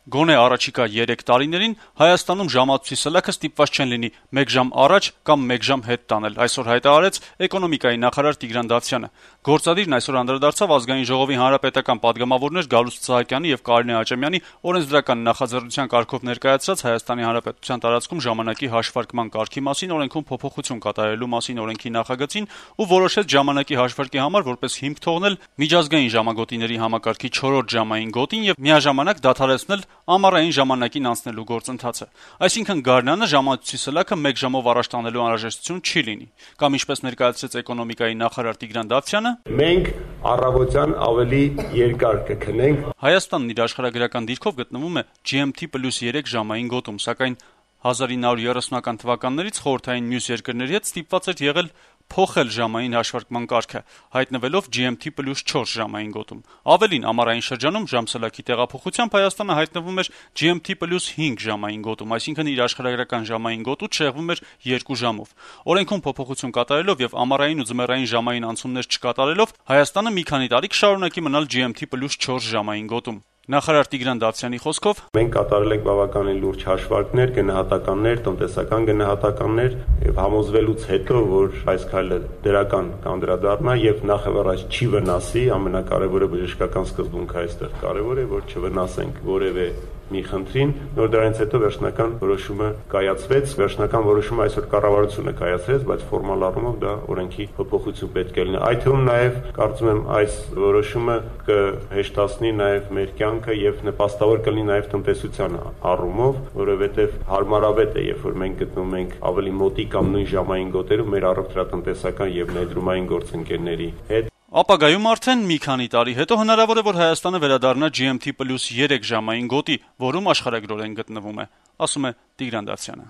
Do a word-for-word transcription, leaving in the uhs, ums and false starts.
Գոնե առաջիկա երեք տարիներին Հայաստանում ժամացույցի սլաքը ստիպված չեն լինի մեկ ժամ առաջ կամ մեկ ժամ հետ տանել, այսօր հայտարարեց էկոնոմիկայի նախարար Տիգրան Դավթյանը։ Գործադիրն այսօր անդրադարձավ Ազգային ժողովի հանրապետական պատգամավորներ Գալուստ Սահակյանի եւ Կարինե Աճեմյանի օրենսդրական նախաձեռնության կարգով ներկայացրած Հայաստանի Հանրապետության տարածքում ժամանակի հաշվարկման կարգի մասին օրենքում փոփոխություն կատարելու մասին օրենքի նախագծին ու որոշեց ժամանակի հաշվարկի համար որպես հիմք թողնել միջազգային ժամագոտիների համակարգի չորրորդ ժամային գոտին եւ միաժամանակ դադարեցնել ամառային ժամանակին անցնելու գործընթացը։ Այսինքն գարնանը ժամացույցի սլաքը մեկ ժամով առաջ տանելու անհրաժեշտություն չի լինի։ Կամ ինչպես ներկայացրեց էկոնոմիկայի նախարար Տիգրան Դավթյանը, մենք առավոտյան ավելի երկար կքնենք։ Հայաստանն իր աշխարհագրական դիրքով գտնվում է G M T plus երեք ժամային գոտում, սակայն հազար ինը հարյուր երեսունական թվականներից խորհրդային մյուս երկրների հետ ստիպված էր եղել փոխել ժամային հաշվարկման կարգը, հայտնվելով G M T plus չորս ժամային գոտում։ Ավելին, ամառային շրջանում ժամսլաքի տեղափոխությամբ Հայաստանը հայտնվում էր G M T plus հինգ ժամային գոտում, այսինքն իր աշխարհագրական ժամային գոտուց շեղվում էր երկու ժամով։ Օրենքում փոփոխություն կատարելով եւ ամառային ու ձմեռային ժամային անցումներ չկատարելով Հայաստանը մի քանի տարի կշարունակի մնալ G M T plus չորս ժամային գոտում։ Նախարար Տիգրան Դավթյանի խոսքով, մենք կատարել ենք բավականին լուրջ հաշվարկներ, գնահատականներ, տնտեսական գնահատականներ եւ համոզվելուց հետո, որ այս քայլը դրական կանդրադառնա եւ նախավարած չի վնասի, ամենակարևորը բժշկական սկզբունքը այստեղ կարևոր է, որ չվնասենք որևէ մի խնդրին, նոր դրանից հետո վերջնական որոշումը կայացվեց, վերջնական որոշումը այսօր կառավարությունը կայացրեց, բայց ֆորմալ առումով դա օրենքի փոփոխություն պետք է լինի։ Այդ թվում նաեւ կարծում եմ այս որոշումը կհեշտացնի նաեւ մեր կյանքը եւ նպաստավոր կլինի նաեւ տնտեսության առումով, որովհետեւ հարմարավետ է, երբ որ մենք գտնվում ենք ավելի մոտիկ կամ նույն ժամային գոտերում մեր առողջատնտեսական եւ ներդրումային գործընկերների հետ։ Ապագայում արդեն մի քանի տարի հետո հնարավոր է, որ Հայաստանը վերադառնա G M T plus երեք ժամային գոտի, որում աշխարհագրորեն գտնվում է, ասում է Տիգրան Դավթյանը։